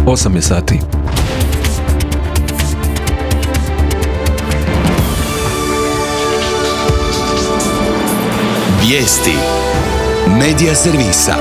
8 je sati. Vijesti Medija servisa.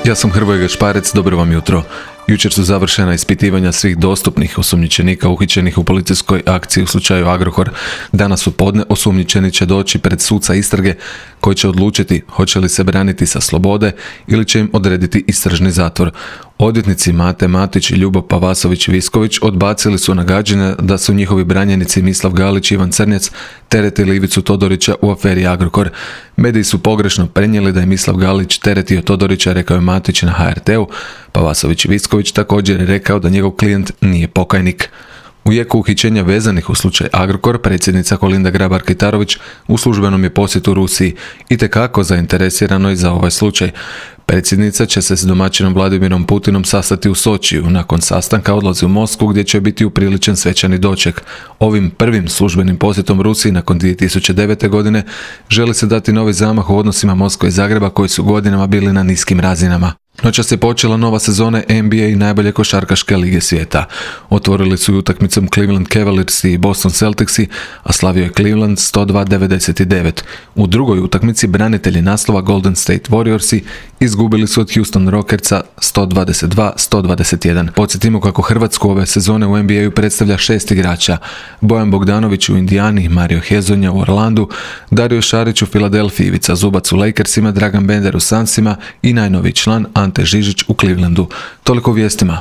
Ja sam Hrvoje Gašparec, dobro vam jutro. Jučer su završena ispitivanja svih dostupnih osumnjičenika uhićenih u policijskoj akciji u slučaju Agrokor. Danas u podne osumnjičeni će doći pred suca istrage koji će odlučiti hoće li se braniti sa slobode ili će im odrediti istražni zatvor. Odvjetnici Mate Matić i Ljubo Pavasović-Visković odbacili su nagađanja da su njihovi branjenici Mislav Galić i Ivan Crnjac teretili Ivicu Todorića u aferi Agrokor. Mediji su pogrešno prenijeli da je Mislav Galić teretio Todorića, rekao je Matić na HRT-u. Pavasović-Visković također je rekao da njegov klijent nije pokajnik. U jeku uhićenja vezanih u slučaj Agrokor, predsjednica Kolinda Grabar-Kitarović u službenom je posjetu Rusiji itekako zainteresirano i za ovaj slučaj. Predsjednica će se s domaćinom Vladimirom Putinom sastati u Sočiju. Nakon sastanka odlazi u Moskvu gdje će biti upriličen svečani doček. Ovim prvim službenim posjetom Rusiji nakon 2009. godine želi se dati novi zamah u odnosima Moskve i Zagreba koji su godinama bili na niskim razinama. Noćas je počela nova sezona NBA i najbolje košarkaške lige svijeta. Otvorili su ju utakmicom Cleveland Cavaliers i Boston Celticsi, a slavio je Cleveland 102-99. U drugoj utakmici branitelji naslova Golden State Warriorsi izgubili su od Houston Rockersa 122-121. Podsjetimo kako Hrvatsku ove sezone u NBA-u predstavlja 6 igrača: Bojan Bogdanović u Indijani, Mario Hezonja u Orlandu, Dario Šarić u Filadelfiji, Ivica Zubac u Lakersima, Dragan Bender u Sunsima i najnoviji član Ante Žižić u Clevelandu. Toliko u vijestima.